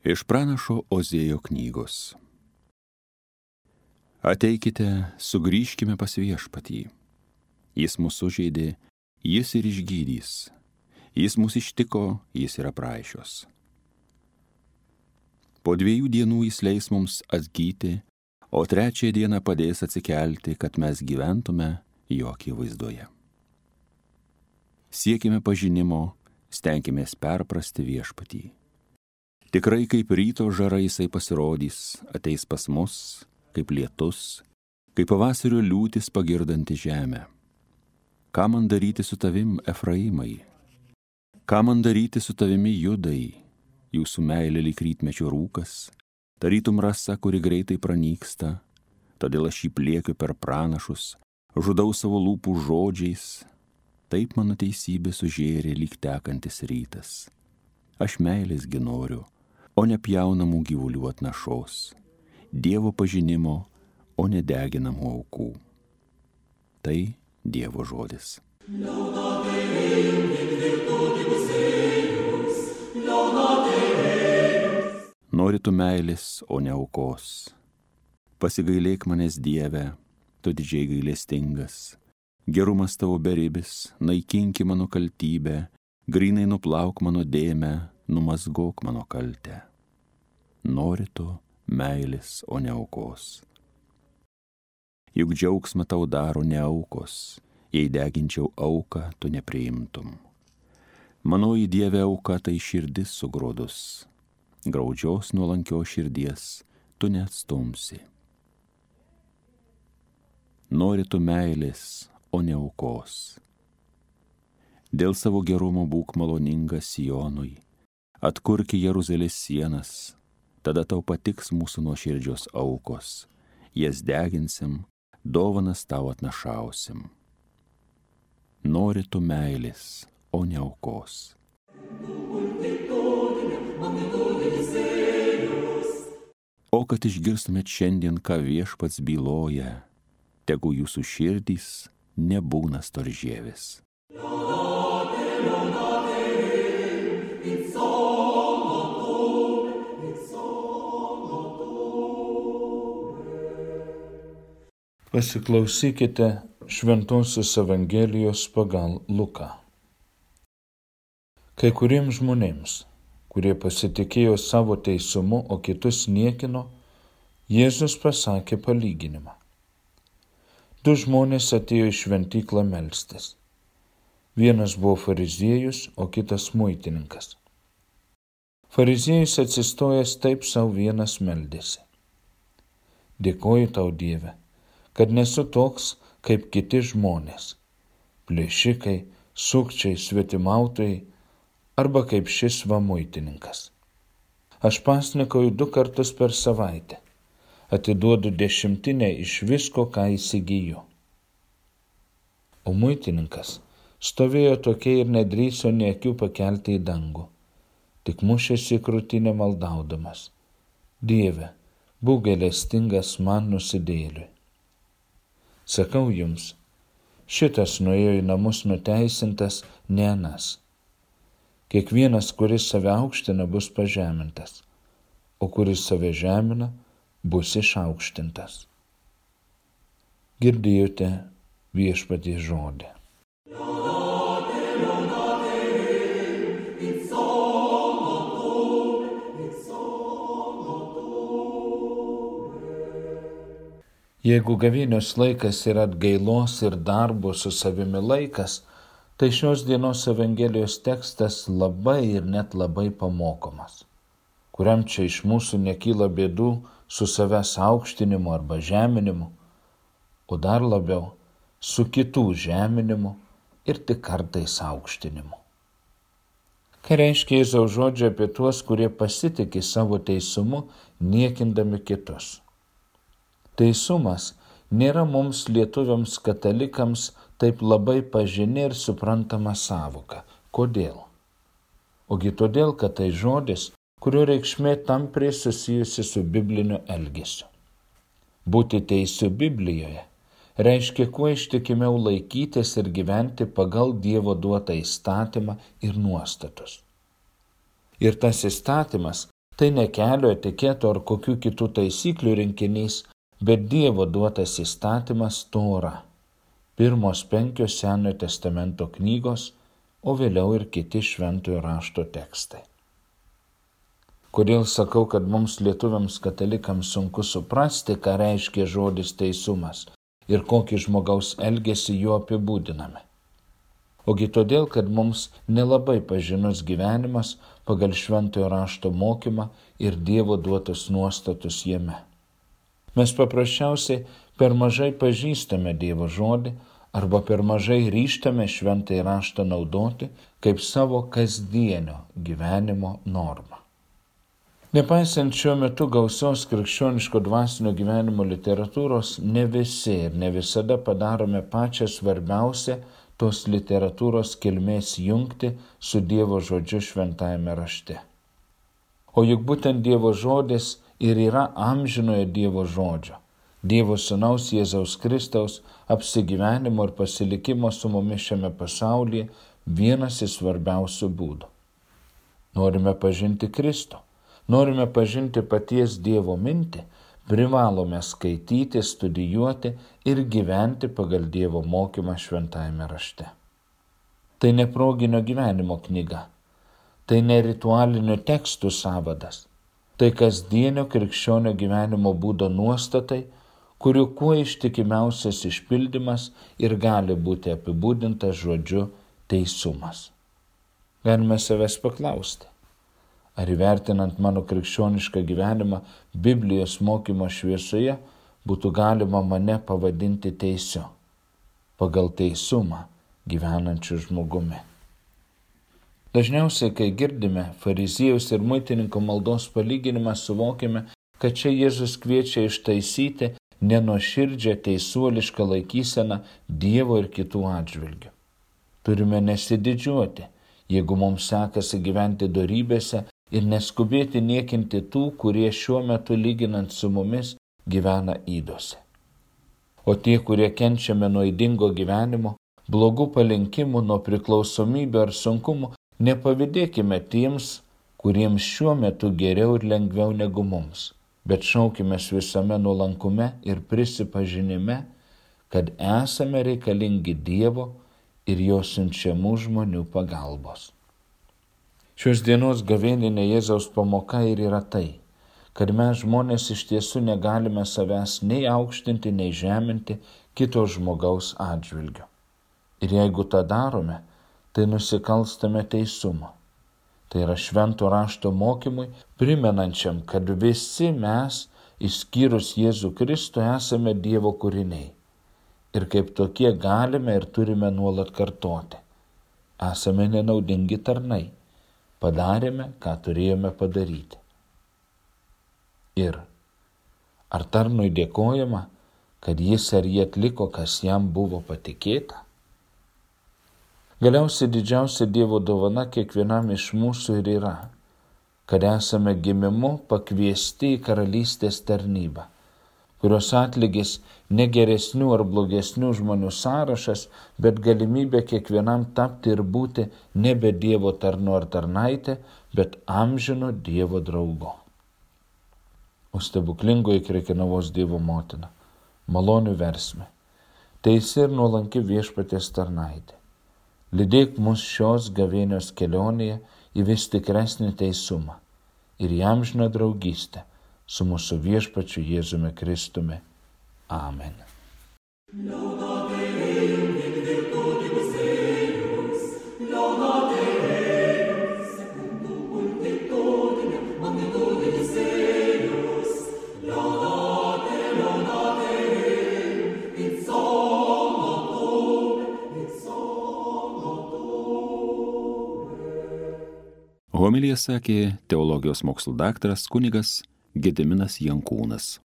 Iš pranašo Ozėjo knygos. Ateikite, sugrįžkime pas Viešpatį. Jis mus sužeidė, jis ir išgydys. Jis mus ištiko, jis yra praaišios. Po 2 dienų jis leis mums atgyti, o 3 dieną padės atsikelti, kad mes gyventume jo akivaizdoje. Siekime pažinimo, stenkimės perprasti Viešpatį. Tikrai kaip ryto žara jisai pasirodys, ateis pas mus, kaip lietus, kaip pavasario liūtis pagirdanti žemę. Ką man daryti su tavim, Efraimai? Ką man daryti su tavimi, Judai? Jūsų meilė lyg rytmečio rūkas, tarytum rasa, kuri greitai pranyksta, todėl aš jį pliekiu per pranašus, žudau savo lūpų žodžiais, taip mano teisybė sužėrė lyg tekantis rytas. Aš meilės gi noriu, o ne pjaunamų gyvulių atnašos, Dievo pažinimo, o ne deginamų aukų. Tai Dievo žodis. Nori tu meilės, o ne aukos. Pasigailėk manęs, Dieve, tu didžiai gailestingas. Gerumas tavo beribis, naikinki mano kaltybę, grynai nuplauk mano dėmę, numazgok mano kaltę. Nori tu meilės, o ne aukos. Juk džiaugsmą tau daro ne aukos, jei deginčiau auką, tu nepriimtum. Manoji Dieve auka tai širdis sugrodus, graudžios nuolankios širdies tu neatstumsi. Nori tu meilės, o ne aukos. Dėl savo gerumo būk maloningas Sionui, atkurki Jeruzalės sienas, tada tau patiks mūsų nuoširdžios aukos, jas deginsim, dovanas tau atnašausim. Nori tu meilės, o ne aukos. O kad išgirstumėt šiandien, ką Viešpats byloja, tegu jūsų širdys nebūna storžievis. Pasiklausykite Šventosios Evangelijos pagal Luką. Kai kuriems žmonėms, kurie pasitikėjo savo teisumu, o kitus niekino, Jėzus pasakė palyginimą. 2 žmonės atėjo į šventyklą melstis. Vienas buvo fariziejus, o kitas muitininkas. Fariziejus atsistojęs taip sau vienas meldėsi. Dėkoju tau, Dieve, kad nesu toks kaip kiti žmonės, plėšikai, sukčiai, svetimautojai, arba kaip šis va muitininkas. Aš pasnikauju 2 kartus per savaitę, atiduodu 10 iš visko, ką įsigyju. O muitininkas stovėjo tokia ir nedrįso nė akių pakelti į dangų, tik mušėsi į krūtinę maldaudamas. Dieve, būk gailestingas man nusidėjėliui. Sakau jums, šitas nuėjo į namus nuteisintas, ne anas. Kiekvienas, kuris save aukština, bus pažemintas, o kuris save žemina, bus išaukštintas. Girdėjote Viešpaties žodį. Jeigu gavėnios laikas yra atgailos ir darbo su savimi laikas, tai šios dienos Evangelijos tekstas labai ir net labai pamokomas. Kuriam čia iš mūsų nekyla bėdų su savęs aukštinimu arba žeminimu, o dar labiau su kitų žeminimu ir tik kartais aukštinimu. Ką reiškia Jėzaus žodžiai apie tuos, kurie pasitiki savo teisumu, niekindami kitus? Teisumas nėra mums lietuviams katalikams taip labai pažini ir suprantama sąvoka. Kodėl? Ogi todėl, kad tai žodis, kurio reikšmė tampriai susijusi su bibliniu elgesiu. Būti teisiu Biblijoje reiškia kuo ištikimiau laikytis ir gyventi pagal Dievo duotą įstatymą ir nuostatus. Ir tas įstatymas Tai ne kelio etiketo ar kokių kitų taisyklių rinkinys, bet Dievo duotas įstatymas Tora. Pirmos 5 Senojo testamento knygos, o vėliau ir kiti šventojo rašto tekstai. Kodėl sakau, kad mums lietuviams katalikams sunku suprasti, ką reiškia žodis teisumas ir kokį žmogaus elgesį juo apibūdiname? Ogi todėl, kad mums nelabai pažinus gyvenimas pagal šventojo rašto mokymą ir Dievo duotus nuostatus jame. Mes paprasčiausiai per mažai pažįstame Dievo žodį arba per mažai ryžtame šventąjį raštą naudoti kaip savo kasdienio gyvenimo normą. Nepaisant šiuo metu gausios krikščioniško dvasinio gyvenimo literatūros, ne visi ir ne visada padarome pačią svarbiausią tos literatūros kilmės jungti su Dievo žodžiu šventajame rašte. O juk būtent Dievo žodis ir yra amžinojo Dievo žodžio, Dievo sūnaus Jėzaus Kristaus apsigyvenimo ir pasilikimo su mumis šiame pasaulyje vienas iš svarbiausių būdų. Norime pažinti Kristų, norime pažinti paties Dievo mintį, privalome skaityti, studijuoti ir gyventi pagal Dievo mokymą šventajame rašte. Tai ne proginio gyvenimo knyga, tai ne ritualinių tekstų sąvadas, tai kasdienio krikščionio gyvenimo būdo nuostatai, kurių kuo ištikimiausias išpildymas ir gali būti apibūdintas žodžiu teisumas. Galime savęs paklausti, ar įvertinant mano krikščionišką gyvenimą Biblijos mokymo šviesoje būtų galima mane pavadinti teisiu, pagal teisumą gyvenančiu žmogumi. Dažniausiai, kai girdime fariziejaus ir muitininko maldos palyginimą, suvokime, kad čia Jėzus kviečia ištaisyti nenuoširdžią teisuolišką laikyseną Dievo ir kitų atžvilgių. Turime nesididžiuoti, jeigu mums sekasi gyventi dorybėse ir neskubėti niekinti tų, kurie šiuo metu lyginant su mumis gyvena ydose. O tie, kurie kenčiame nuo ydingo gyvenimo, blogų palinkimų, nuo priklausomybių ar sunkumų, nepavydėkime tiems, kuriems šiuo metu geriau ir lengviau negu mums, bet šaukimės visame nuolankume ir prisipažinime, kad esame reikalingi Dievo ir jo siunčiamų žmonių pagalbos. Šios dienos gavėninė Jėzaus pamoka ir yra tai, kad mes žmonės iš tiesų negalime savęs nei aukštinti, nei žeminti kito žmogaus atžvilgiu. Ir jeigu tą darome, tai nusikalstame teisumo. Tai yra švento rašto mokymui, primenančiam, kad visi mes, išskyrus Jėzų Kristų, esame Dievo kūriniai. Ir kaip tokie galime ir turime nuolat kartoti. Esame nenaudingi tarnai. Padarėme, ką turėjome padaryti. Ir ar tarnui dėkojama, kad jis ar jie atliko, kas jam buvo patikėta? Galiausiai didžiausia Dievo dovana kiekvienam iš mūsų ir yra, kad esame gimimu pakviesti į karalystės tarnybą, kurios atlygis ne geresnių ar blogesnių žmonių sąrašas, bet galimybė kiekvienam tapti ir būti nebe Dievo tarnu ar tarnaitė, bet amžino Dievo draugu. O stebuklingoji Krekenavos Dievo motina, malonių versmė, teisi ir nuolanki Viešpaties tarnaitė. Lydėk mus šios gavėnios kelionėje į vis tikresnį teisumą ir į amžiną draugystę su mūsų Viešpačiu Jėzumi Kristumi. Amen. Homiliją sakė teologijos mokslų daktaras kunigas Gediminas Jankūnas.